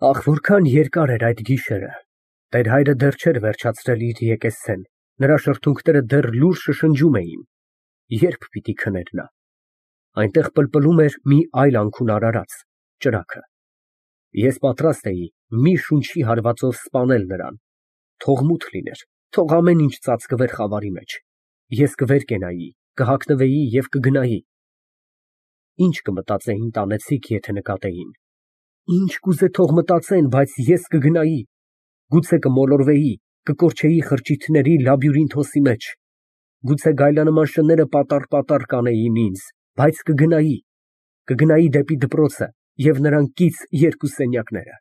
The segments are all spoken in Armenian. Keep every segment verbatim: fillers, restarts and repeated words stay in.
Ախ, որքան երկար էր այդ գիշերը, տեր֊հայրը դեռ չէր վերջացրել իր եկեսցեն, նրա շրթունքները դեռ լուռ շշնջում էին, ե՞րբ պիտի քներ նա։ Այնտեղ պլպլում էր մի այլ անքուն արարած, ճրագը։ Ես պատրաստ էի մի շունչի հարվածով սպանել նրան, թող մութ լիներ, թող ամեն ինչ ծածկվեր խավարի մեջ, ես կվեր կենայի, կհագնվեի և կգնայի։ Ինչ կմտածեին տանեցիք, եթե նկատեին, ինչ կուզե թող մտածեն, բայց ես կգնայի, գուցե կմոլորվեի, կկորչեի խրճիթների լաբյուրինթոսի մեջ, գուցե գայլանման շները պատառ֊պատառ կանեին ինձ, բայց կգնայի, կգնայի դեպի դպրոցը և նրան կից երկու սենյակները,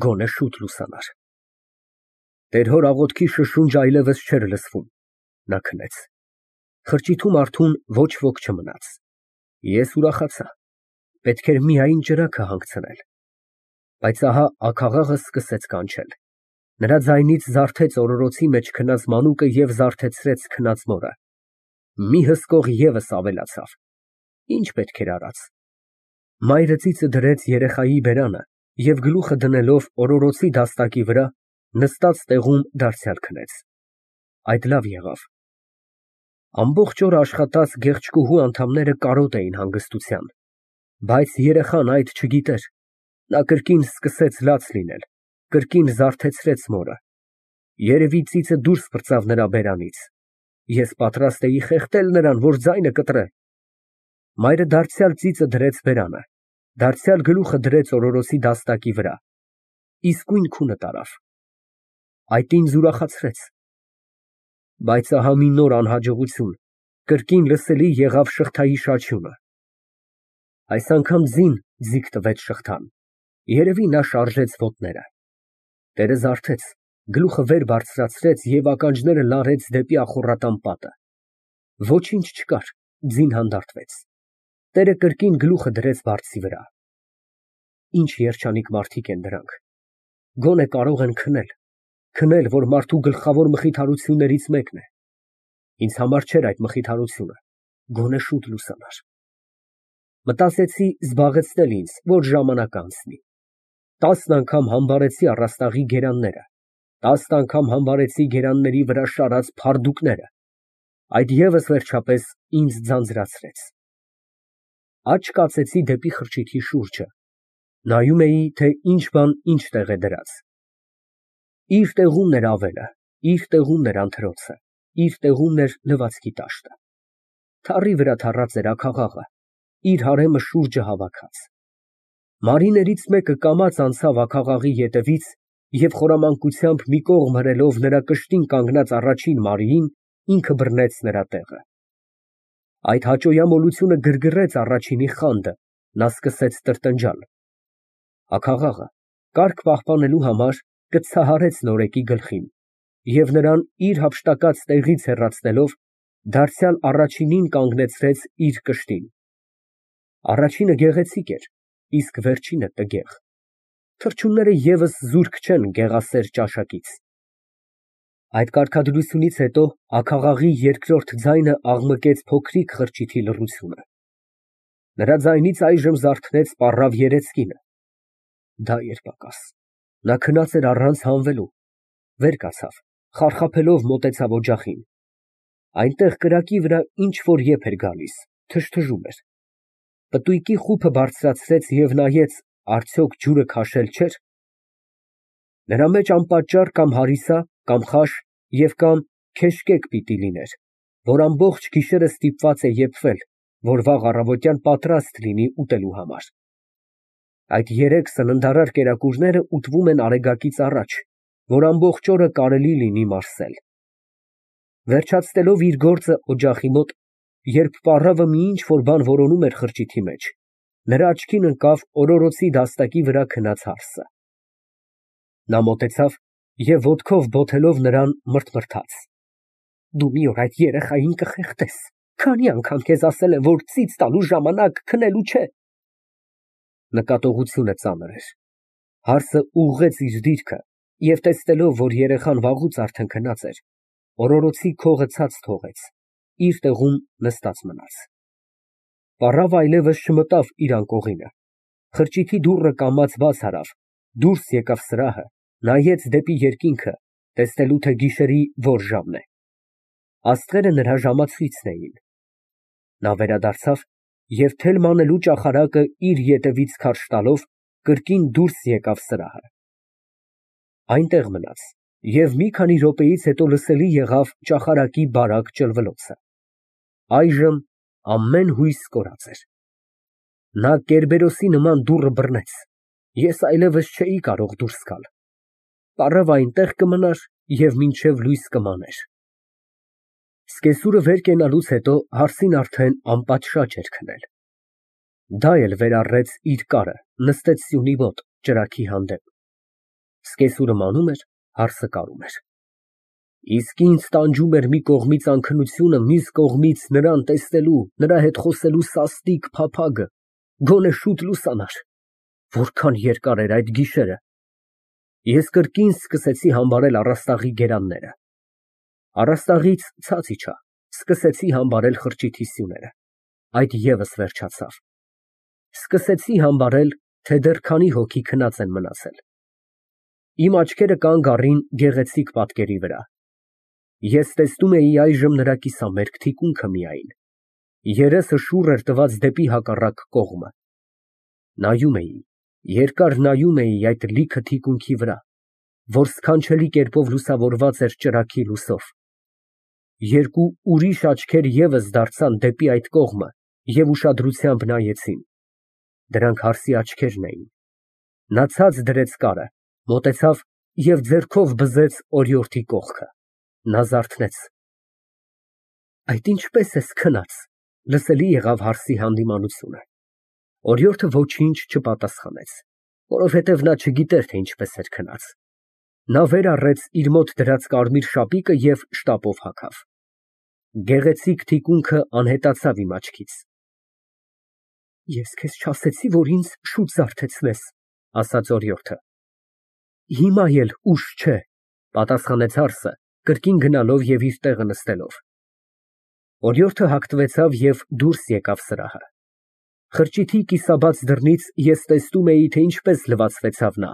գոնե շուտ լուսանար։ Տեր֊հոր աղոթքի շշունջն այլևս չէր լսվում, նա քնեց։ Խրճիթում արթուն ոչ ոք չմնաց։ Ես ուրախացա, պետք էր միայն ճրագը հանգցնել։ Բայց ահա աքաղաղը սկսեց կանչել, նրա ձայնից զարթեց օրորոցի մեջ քնած մանուկը և զարթեցրեց քնած մորը։ Մի հսկող ևս ավելացավ, ինչ պետք էր արած։ Մայրը ծիծը դրեց երեխայի բերանը և գլուխը դնելով օրորոցի դաստակի վրա, նստած տեղում դարձյալ քնեց։ Այդ լավ եղավ։ Ամբողջ օրը աշխատած գեղեցկուհու անդամները կարոտ էին հանգստության, բայց երեխան այդ չգիտեր, նա կրկին սկսեց լաց լինել, կրկին զարթեցրեց մորը, երևի ծիծը դուրս պրծավ նրա բերանից, ես պատրաստ էի խեղդել նրան, որ ձայնը կտրե։ Մայրը դարձյալ ծիծը դրեց բերանը, դարձյալ գլուխը դրեց օրորոցի դաստակի վրա, իսկույն քունը տարավ։ Այդ ինձ ուրախացրեց։ Բայց ահա մի նոր անհաջողություն, կրկին լսելի եղավ շղթայի շաչյունը։ Այս անգամ ձին ձիգ տվեց շղթան, երևի նա շարժեց ոտները։ Տերը զարթեց, գլուխը վեր բարձրացրեց և ականջները լարեց դեպի ախոռատան պատը։ Ոչինչ չկար, ձին հանդարտվեց։ Տերը կրկին գլուխը դրեց բարձի վրա։ Ինչ երջանիկ մարդիկ են դրանք, գոնե կարող են քնել, քնել, որ մարդու գլխավոր մխիթարություններից մեկն է։ Ինձ համար չէր այդ մխիթարությունը, գոնե շուտ լուսանար։ Մտածեցի զբաղեցնել ինձ, որ ժամանակ անցնի։ Տասն անգամ համբարեցի առաստաղի գերանները, տասն անգամ համբարեցի գերանների վրա շարած փարդուկները, այդ ևս վերջապես ինձ ձանձրացրեց։ Աջ կացեցի դեպի խրճիթի շուրջը, նայում էի, թե ինչ բան ինչ տեղ է դրած։ Իր տեղումն էր ավելը, իր տեղումն էր անթրոցը, իր տեղումն էր լվացքի տաշտը։ Թառի վրա թառած էր աքաղաղը, իր հարեմը շուրջը հավաքած։ Մարիներից մեկը կամաց անցավ աքաղաղի ետևից և խորամանկությամբ մի կողմ հրելով նրա կշտին կանգնած առաջին Մարիին, ինքը բռնեց նրա տեղը։ Այդ հաճոյամոլությունը գրգռեց առաջինի խանդը, նա սկսեց տրտնջալ։ Աքաղաղը, կարգ պահպանելու համար, կցահարեց նորեկի գլխին և նրան իր հափշտակած տեղից հեռացնելով, դարձյալ առաջինին կանգնեցրեց իր կշտին։ Առաջինը գեղեցիկ էր, իսկ վերջինը տգեղ։ Թռչունները ևս զուրկ չեն գեղասեր ճաշակից։ Այդ կարգադրությունից հետո աքաղաղի երկրորդ ձայնը աղմկեց փոքրիկ խրճիթի լռությունը։ Նրա ձայնից այժմ զարթնեց պառավ երեսկինը։ Դա էր պակաս, նա քնած էր առանց հանվելու, վեր կացավ, խարխափելով մոտեցավ օջախին։ Այնտեղ կրակի վրա ինչ֊որ եփ էր գալիս, թժթժում էր։ Պտույտի խուփը բարձրացրեց և նայեց, արդյոք ջուրը քաշել չէր։ Նրա մեջ անպատճառ կամ հարիսա, կամ խաշ և կամ քեշկեկ պիտի լիներ, որ ամբողջ գիշերը ստիպված է եփվել, որ վաղ առավոտյան պատրաստ լինի ուտելու համար։ Այդ երեք սննդարար կերակուրները ուտվում են արեգակից առաջ, որ ամբողջ օրը կարելի լինի մարսել։ Վերջացնելով իր գործը օջախի մոտ, երբ պառավը մի ինչ֊որ բան որոնում էր խրճիթի մեջ, նրա աչքին ընկավ օրորոցի դաստակի վրա քնած հարսը։ Նա մոտեցավ և ոտքով բոթելով նրան մռթմռթաց. «Դու մի օր այդ երեխային կխեղդես, քանի անգամ քեզ ասել եմ, որ ծիծ տալու ժամանակ քնելու չէ»։ Նկատողությունը ծանր էր։ Հարսը ուղղեց իր դիրքը և տեսնելով, որ երեխան վաղուց արդեն քնած էր, օրորոցի քողը ցած թողեց, իր տեղում նստած մնաց։ Պառավը այլևս չմտավ իր անկողինը, խրճիթի դուռը կամաց բաց արավ Դուրս եկավ սրահը, նայեց դեպի երկինքը, տեսնելու թե գիշերի որ ժամն է։ Աստղերը նրա ժամացույցն էին։ Նա վերադարձավ և թելմ անելու ճախարակը իր ետևից քարշ տալով, կրկին դուրս եկավ սրահը։ Այնտեղ մնաց և մի քանի րոպեից հետո լսելի եղավ ճախարակի բարակ ճլվելոցը։ Այժմ ամեն հույս կորած էր։ Նա Կերբերոսի նման դուռը բռնեց, ես այլևս չէի կարող դուրս գալ։ Պառավը այնտեղ կմնար և մինչև լույս կմաներ։ Սկեսուրը վեր կենալուց հետո հարսին արդեն անպատշաճ էր քնել։ Դա էլ վեր առեց իր կարը, նստեց սյունի մոտ, ճրագի հանդեպ։ Սկեսուրը մանում էր, հարսը կարում էր։ Իսկ ինձ տանջում էր մի կողմից անքնությունը, մյուս կողմից նրան տեսնելու, նրա հետ խոսելու սաստիկ փափագը, գոնե շուտ լուսանար։ Որքան երկար էր այդ գիշերը։ Ես կրկին սկսեցի համբարել առաստաղի գերանները։ Առաստաղից ցած իջա, սկսեցի համբարել խրճիթի սյուները։ Այդ ևս վերջացավ։ Սկսեցի համբարել, թե դեռ քանի հոգի քնած են մնացել։ Իմ աչքերը կանգ առին գեղեցիկ պատկերի վրա։ Ես տեսնում էի այժմ նրա կիսամերկ թիկունքը միայն։ Երեսը շուռ էր տված դեպի հակառակ կողմը։ Նայում էի, երկար նայում էի այդ լիքը թիկունքի վրա, որ սքանչելի կերպով լուսավորված էր ճրագի լույսով։ Երկու ուրիշ աչքեր ևս դարձան դեպի այդ կողմը և ուշադրությամբ նայեցին։ Դրանք հարսի աչքերն էին։ Նա ցած դրեց կարը, մոտեցավ և ձեռքով բզեց օրիորդի կողքը։ Նա զարթնեց։ Այդ ինչպե՞ս ես քնած, լսելի եղավ հարսի հանդիմանությունը։ Օրիորդը ոչինչ չպատասխանեց, որովհետև նա չգիտեր, թե ինչպես էր քնած։ Նա վեր առեց իր մոտ դրած կարմիր շապիկը և շտապով հագավ։ Գեղեցիկ թիկունքը անհետացավ իմ աչքից։ Ես քեզ չասեցի՞, որ ինձ շուտ զարթեցնես, ասաց օրիորդը։ Հիմա էլ ուշ չէ, պատասխանեց հարսը, կրկին գնալով և իր տեղը նստելով։ Օրիորդը հագնվեցավ և դուրս եկավ սրահը։ Խրճիթի կիսաբաց դռնից ես տեսնում էի, թե ինչպես լվացվեցավ նա,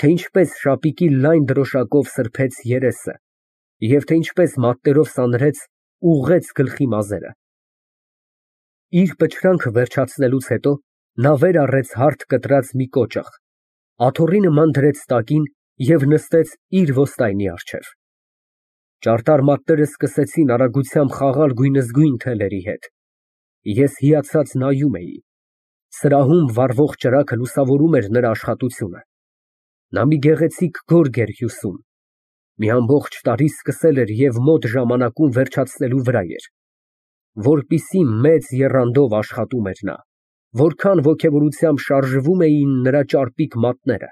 թե ինչպես շապիկի լայն դրոշակով սրբեց երեսը և թե ինչպես մատներով սանրեց, ուղղեց գլխի մազերը։ Իր պչրանքը վերջացնելուց հետո նա վեր առեց հարթ կտրած մի կոճղ, աթոռի նման դրեց տակին և նստեց իր ոստայնի առջև։ Ճարտար մատները սկսեցին արագությամբ խաղալ գույնզգույն թելերի հետ։ Ես հիացած նայում էի։ Սրահում վառվող ճրագը լուսավորում էր նրա աշխատությունը։ Նա մի գեղեցիկ գորգ էր հյուսում։ Մի ամբողջ տարի սկսել էր և մոտ ժամանակում վերջացնելու վրա էր։ Որպիսի մեծ եռանդով աշխատում էր նա, որքան ոգևորությամբ շարժվում էին նրա ճարպիկ մատները։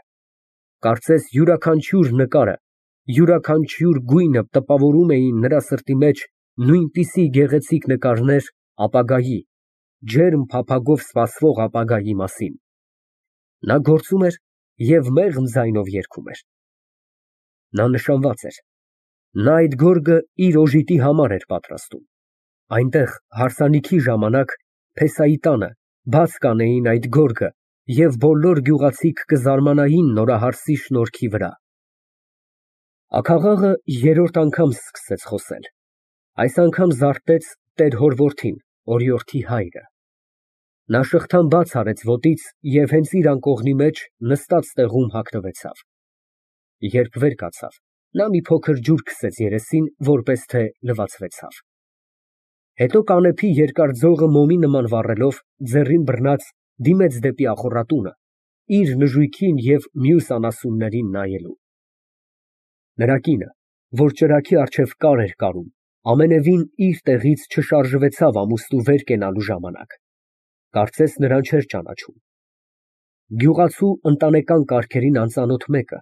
Կարծես յուրաքանչյուր նկարը, յուրաքանչյուր գույնը տպավորում էին նրա սրտի մեջ նույնպիսի գեղեցիկ նկարներ ապագայի, ջերմ փափագով սպասվող ապագայի մասին։ Նա գործում էր և մեղմ ձայնով երգում էր։ Նա նշանված էր։ Նա այդ գորգը իր օժիտի համար էր պատրաստում։ Այնտեղ, հարսանիքի ժամանակ, փեսայի տանը, բաց կանեին այդ գորգը և բոլոր գյուղացիք կզարմանային նորահարսի շնորհքի վրա։ Աքաղաղը երրորդ անգամ սկսեց խոսել։ Այս անգամ զարթեց տեր հոր որդին, օրիորդի հայրը։ Նա շղթան բաց արեց ոտից և հենց իր անկողնի մեջ նստած տեղում հագնվեցավ։ Երբ վեր կացավ, նա մի փոքր ջուր քսեց երեսին, որպես թե լվացվեցավ։ Հետո կանեփի երկար ձողը մոմի նման վառելով, ձեռին բռնած, դիմեց դեպի ախոռատունը, իր նժույգին և մյուս անասուններին նայելու։ Նրա կինը, որ ճրագի առջև կար էր կարում, ամենևին իր տեղից չշարժվեցավ ամուսնու վեր կենալու ժամանակ։ Կարծես նրան չէր ճանաչում։ Գյուղացու ընտանեկան կարգերին անծանոթ մեկը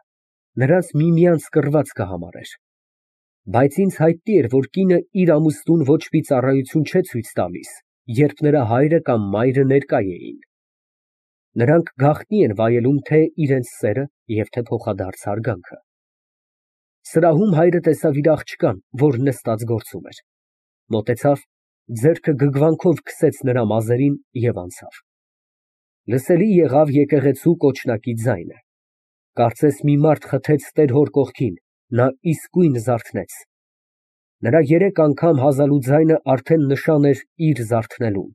նրանց միմյանց կռված կհամարեր։ Բայց ինձ հայտնի էր, որ կինը իր ամուսնուն ոչ մի ծառայություն չէ ցույց տալիս, երբ նրա հայրը կամ մայրը ներկա էին։ Նրանք գաղտնի են վայելում թե իրենց սերը և թե փոխադարձ հարգանքը։ Սրահում հայրը տեսավ իր աղջկան, որ նստած գործում էր։ Մոտեցավ, ձեռքը գգվանքով քսեց նրա մազերին և անցավ։ Լսելի եղավ եկեղեցու կոչնակի ձայնը։ Կարծես մի մարդ խթեց տեր֊հոր կողքին, նա իսկույն զարթնեց։ Նրա երեք անգամ հազալու ձայնը արդեն նշան էր իր զարթնելուն։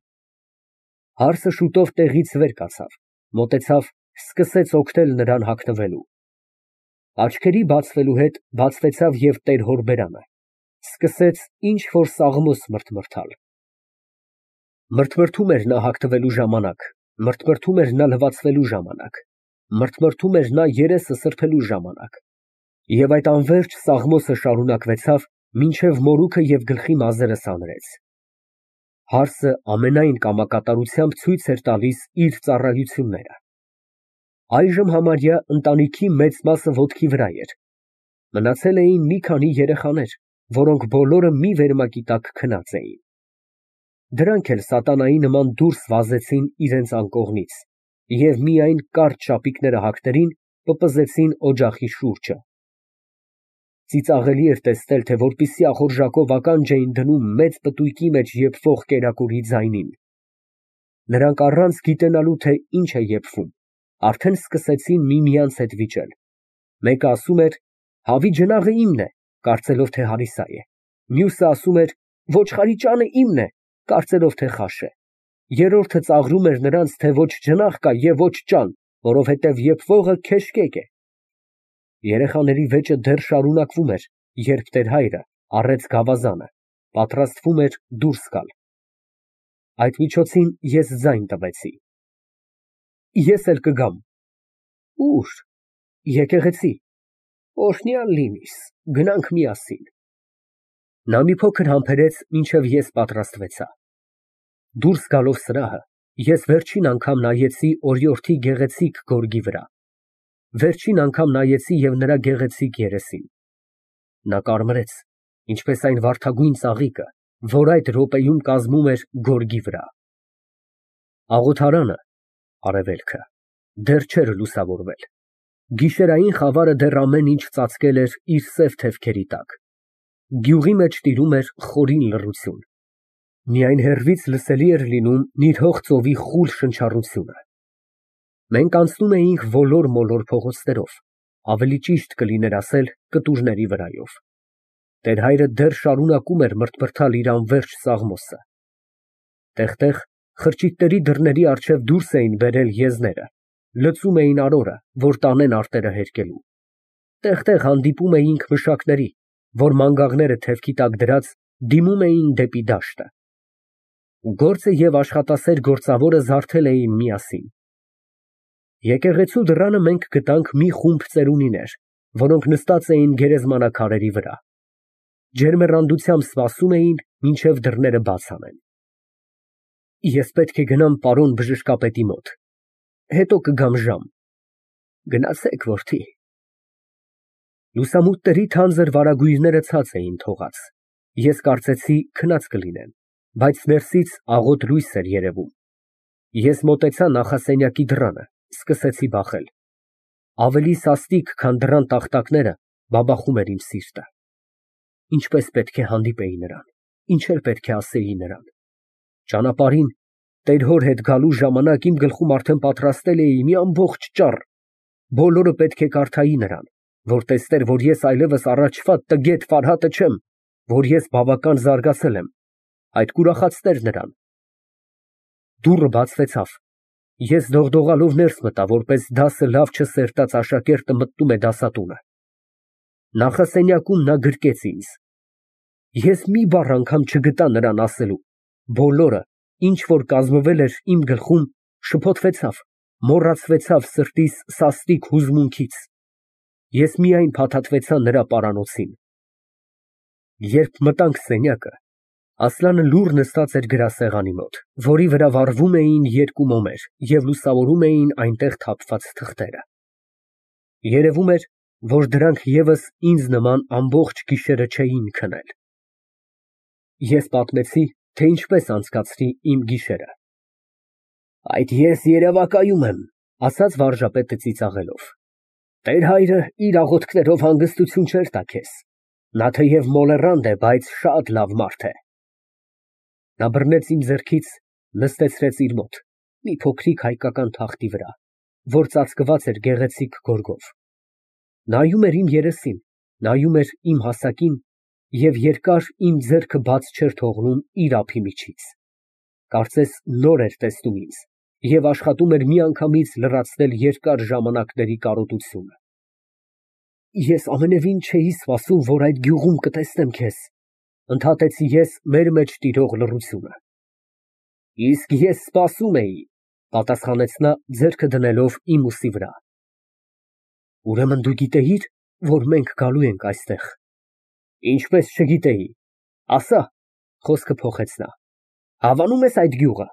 Հարսը շուտով տեղից վեր կացավ, մոտեցավ, սկսեց օգնել նրան հագնվելու։ Աչքերի բացվելու հետ բացվեցավ և տեր֊հոր բերանը, սկսեց ինչ֊որ սաղմոս մրթմրթալ։ Մրթմրթում էր նա հագնվելու ժամանակ, մրթմրթում էր նա լվացվելու ժամանակ, մրթմրթում էր նա երեսը սրբելու ժամանակ, և այդ անվերջ սաղմոսը շարունակվեցավ, մինչև մորուքը և գլխի մազերը սանրեց։ Հարսը ամենայն կամակատարությամբ ցույց էր տալիս իր ծառայությունները։ Այժմ համարյա ընտանիքի մեծ մասը ոտքի վրա էր, մնացել էին մի քանի երեխաներ, որոնք բոլորը մի վերմակի տակ քնած էին։ Դրանք էլ սատանայի նման դուրս վազեցին իրենց անկողնից և միայն կարճ շապիկները հագներին պպզեցին օջախի շուրջը։ Ծիծաղելի էր տեսնել, թե որպիսի ախորժակով ականջ էին դնում մեծ պտույտի մեջ եփվող կերակուրի ձայնին։ Նրանք առանց գիտենալու, թե ինչ է եփվում, արդեն սկսեցին միմյանց հետ վիճել։ Մեկը ասում էր. «Հավի ջնաղը իմն է», կարծելով, թե հարիսա է։ Մյուսը ասում էր. «Ոչխարի ճանը իմն է», կարծելով, թե խաշ է։ Երրորդը ծաղրում էր նրանց, թե ոչ ջնաղ կա և ոչ ճան, որովհետև եփվողը քեշկեկ է։ Երեխաների վեճը դեռ շարունակվում էր, երբ տեր֊հայրը առեց գավազանը, պատրաստվում էր դուրս գալ։ Այդ միջոցին ես ձայն տվեցի. «Ես էլ կգամ»։ Ո՞ւր։ Եկեղեցի։ Օրհնյալ լինիս, գնանք միասին։ Նա մի փոքր համբերեց, մինչև ես պատրաստվեցա։ Դուրս գալով սրահը, ես վերջին անգամ նայեցի օրիորդի գեղեցիկ գորգի վրա, վերջին անգամ նայեցի և նրա գեղեցիկ երեսին։ Նա կարմրեց, ինչպես այն վարդագույն ծաղիկը, որ այդ րոպեում կազմում էր գորգի վրա։ Աղոթարանը (արևելքը) դեռ չէր լուսավորվել։ Գիշերային խավարը դեռ ամեն ինչ ծածկել էր իր սև թևքերի տակ։ Գյուղի մեջ տիրում էր խորին լռություն։ Միայն հեռվից լսելի էր լինում նիրհող ծովի խուլ շնչառությունը։ Մենք անցնում էինք ոլոր֊մոլոր փողոցներով, ավելի ճիշտ կլիներ ասել կտուրների վրայով։ Տեր֊հայրը դեռ շարունակում էր մրթմրթալ իր անվերջ սաղմոսը։ Տեղ֊տեղ խրճիթների դռների առջև դուրս էին բերել եզները, լցում էին արորը, որ տանեն արտերը հերկելու։ Տեղ֊տեղ հանդիպում էինք մշակների, որ մանգաղները թևքի տակ դրած, դիմում էին դեպի դաշտը։ Գործը և աշխատասեր գործավորը զարթել էին միասին։ Եկեղեցու դռանը մենք գտանք մի խումբ ծերունիներ, որոնք նստած էին գերեզմանակարերի վրա։ Ջերմեռանդությամբ սպասում էին, մինչև դռները բաց անեն։ Ես պետք է գնամ պարոն բժշկապետի մոտ, հետո կգամ ժամ։ Գնացեք, որդի։ Լուսամուտների թանձր վարագույրները ցած էին թողած։ Ես կարծեցի քնած կլինեն, բայց ներսից աղոտ լույս էր երևում։ Ես մոտեցա նախասենյակի դռանը, սկսեցի բախել։ Ավելի սաստիկ, քան դռան տախտակները, բաբախում էր իմ սիրտը։ Ինչպես պետք է հանդիպեի նրան, ինչ էլ պետք է ասեի նրան։ Ճանապարհին, տեր֊հոր հետ գալու ժամանակ իմ գլխում արդեն պատրաստել էի մի ամբողջ ճառ։ Բոլորը պետք է կարդայի նրան, որ տեսներ, որ ես այլևս առաջվա տգետ Ֆարհատը չեմ, որ ես բավական զարգացել եմ, այդ կուրախացներ նրան։ Դուռը բացվեցավ։ Ես դողդողալով ներս մտա, որպես դասը լավ չսերտած աշակերտը մտնում է դասատունը։ Նախասենյակում նա գրկեց ինձ։ Ես մի բառ անգամ չգտա նրան ասելու, բոլորը, ինչ որ կազմվել էր իմ գլխում, շփոթվեցավ, մոռացվեցավ սրտիս սաստիկ հուզմունքից։ Ես միայն փաթաթվեցա նրա պարանոցին։ Երբ մտանք սենյակը, Ասլանը լուռ նստած էր գրասեղանի մոտ, որի վրա վառվում էին երկու մոմեր և լուսավորում էին այնտեղ թափված թղթերը։ Երևում էր, որ դրանք ևս ինձ նման ամբողջ գիշերը չէին քնել։ Ես պատմեցի, թե ինչպես անցկացրի իմ գիշերը։ Այդ ես երևակայում եմ, ասաց վարժապետը ծիծաղելով։ Տեր֊հայրը իր աղոթքներով հանգստություն չէր տա քեզ։ Նա թեև մոլեռանդ է, բայց շատ լավ մարդ է։ Նա բռնեց իմ ձեռքից, նստեցրեց իր մոտ, մի փոքրիկ հայկական թախտի վրա, որ ծածկված էր գեղեցիկ գորգով։ Նայում էր իմ երեսին, նայում էր իմ հասակին և երկար իմ ձեռքը բաց չէր թողնում իր ափի միջից, կարծես նոր էր տեսնում ինձ և աշխատում էր միանգամից լրացնել երկար ժամանակների կարոտությունը։ Ես ամենևին չէի սպասում, որ այդ գյուղում կտեսնեմ քեզ, ֊ ընդհատեցի ես մեր մեջ տիրող լռությունը։ Իսկ ես սպասում էի, ֊ պատասխանեց նա, ձեռքը դնելով իմ ուսի վրա։ Ուրեմն դու գիտեիր, որ մենք գալու ենք այստեղ։ Ինչպես չգիտեի, ասա, ֊ խոսքը փոխեց նա, հավանո՞ւմ ես այդ գյուղը։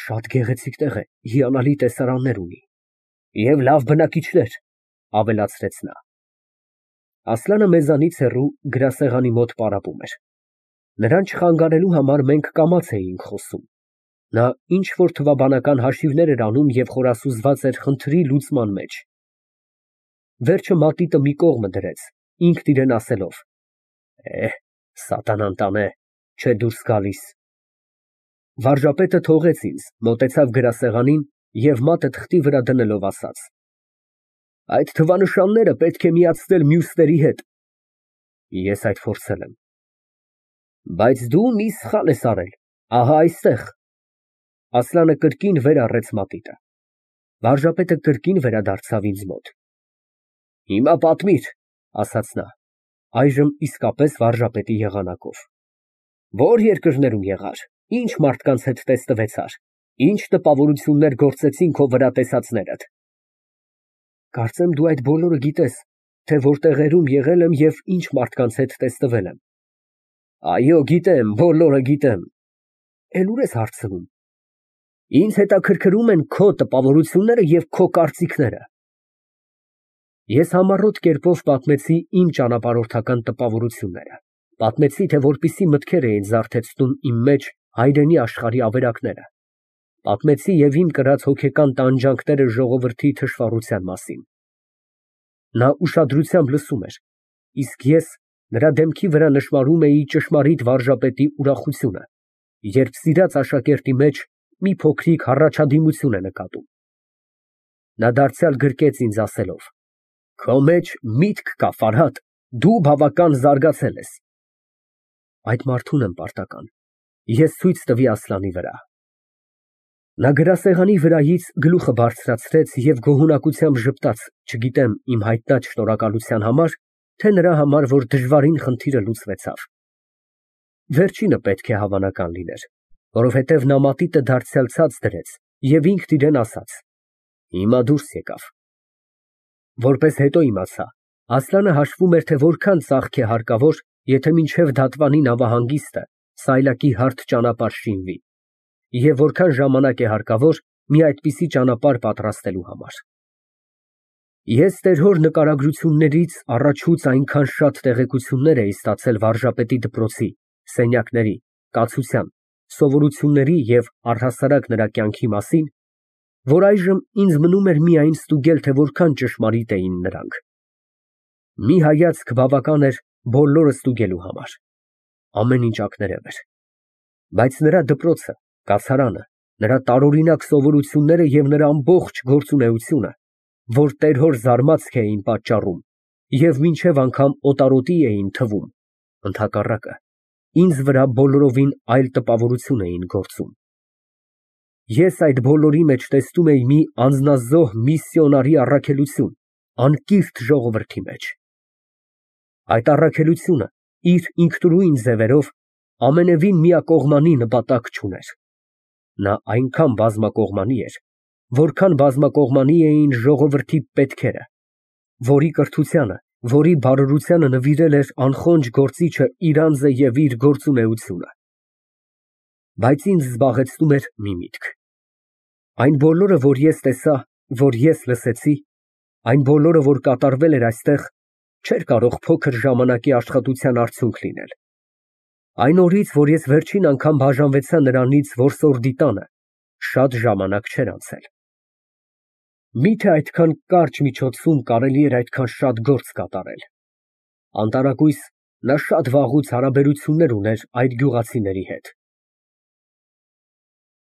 Շատ գեղեցիկ տեղ է, հիանալի տեսարաններ ունի։ Եվ լավ բնակիչներ, ֊ ավելացրեց նա։ Ասլանը մեզանից հեռու գրասեղանի մոտ պարապում էր։ Նրան չխանգարելու համար մենք կամաց էինք խոսում։ Նա ինչ֊որ թվաբանական հաշիվներ էր անում և խորասուզված էր խնդրի լուծման մեջ։ Վերջը մատիտը մի կողմը դրեց, ինքն իրան ասելով. «Էհ, սատանան տանե, չէ դուրս գալիս»։ Վարժապետը թողեց ինձ, մոտեցավ գրասեղանին և մատը թղթի վրա դնելով ասաց. Այդ թվանշանները պետք է միացնել մյուսների հետ։ Ես այդ փորձել եմ։ Բայց դու մի սխալ ես արել, ահա այստեղ։ Ասլանը կրկին վեր առեց մատիտը։ Վարժապետը կրկին վերադարձավ ինձ մոտ։ Հիմա պատմիր, ասաց նա, այժմ իսկապես վարժապետի եղանակով։ Ո՞ր երկրներում եղար, ինչ մարդկանց հետ տեսնվեցար, ինչ տպավորություններ գործեցին քո վրա տեսածներդ։ Կարծեմ դու այդ բոլորը գիտես, թե որ տեղերում եղել եմ և ինչ մարդկանց հետ տեսնվել եմ։ Այո, գիտեմ, բոլորը գիտեմ։ Էլ ուր ես հարցնում։ Ինձ հետաքրքրում են քո տպավորությունները և քո կարծիքները։ Ես համառոտ կերպով պատմեցի իմ ճանապարհորդական տպավորությունները, պատմեցի, թե որպիսի մտքեր էին զարթեցնում իմ մեջ հայրենի աշխարհի ավերակները, պատմեցի և իմ կրած հոգեկան տանջանքները ժողովրդի թշվառության մասին։ Նա ուշադրությամբ լսում էր, իսկ ես նրա դեմքի վրա նշմարում էի ճշմարիտ վարժապետի ուրախությունը, երբ սիրած աշակերտի մեջ մի փոքրիկ հառաչադիմություն է նկատում։ Նա դարձյալ գրկեց ինձ ասելով. Քո մեջ միտք կա, Ֆարհադ, դու բավական զարգացել ես։ Այդ մարդուն եմ պարտական, ես ցույց տվի Ասլանի վրա։ Նա գրասեղանի վրայից գլուխը բարձրացրեց և գոհունակությամբ ժպտաց, չգիտեմ իմ հայտնած շնորհակալության համար, թե նրա համար, որ դժվարին խնդիրը լուծվեցավ։ Վերջինը պետք է հավանական լիներ, որովհետև նա մատիտը դարձյալ ցած դրեց և ինքն իրան ասաց. Հիմա դուրս եկավ։ Որպես հետո իմացա, Ասլանը հաշվում էր, թե որքան ծախք է հարկավոր, եթե մինչև դատվանի նավահանգիստը սայլակի հարթ ճանապարհ շինվի, և որքան ժամանակ է հարկավոր մի այդպիսի ճանապարհ պատրաստելու համար։ Ես տեր֊հոր նկարագրություններից առաջուց այնքան շատ տեղեկություններ էի ստացել վարժապետի դպրոցի, սենյակների, կացության, սովորությունների և առհասարակ նրա կյանքի մասին, որ այժմ ինձ մնում էր միայն ստուգել, թե որքան ճշմարիտ էին նրանք։ Մի հայացք բավական էր բոլորը ստուգելու համար։ Ամեն ինչ ակներև էր։ Բայց նրա դպրոցը, կացարանը, նրա տարօրինակ սովորությունները և նրա ամբողջ գործունեությունը, որ տեր֊հոր զարմացք էին պատճառում և մինչև անգամ օտարոտի էին թվում, ընդհակառակը, ինձ վրա բոլորովին այլ տպավորություն էին գործում։ Ես այդ բոլորի մեջ տեսնում էի մի անձնազոհ միսիոնարի առաքելություն անկիրթ ժողովրդի մեջ։ Այդ առաքելությունը իր ինքնուրույն ձևերով ամենևին միակողմանի նպատակ չուներ։ Նա այնքան բազմակողմանի էր, որքան բազմակողմանի էին ժողովրդի պետքերը, որի կրթությանը, որի բարօրությանը նվիրել էր անխոնջ գործիչը իր անձը և իր գործունեությունը։ Բայց ինձ զբաղեցնում էր մի միտք. այն բոլորը, որ ես տեսա, որ ես լսեցի, այն բոլորը, որ կատարվել էր այստեղ, չէր կարող փոքր ժամանակի աշխատության արդյունք լինել։ Այն օրից, որ ես վերջին անգամ բաժանվեցա նրանից որսորդի տանը, շատ ժամանակ չէր անցել։ Մի՞թե այդքան կարճ միջոցում կարելի էր այդքան շատ գործ կատարել։ Անտարակույս նա շատ վաղուց հարաբերություններ ուներ այդ գյուղացիների հետ։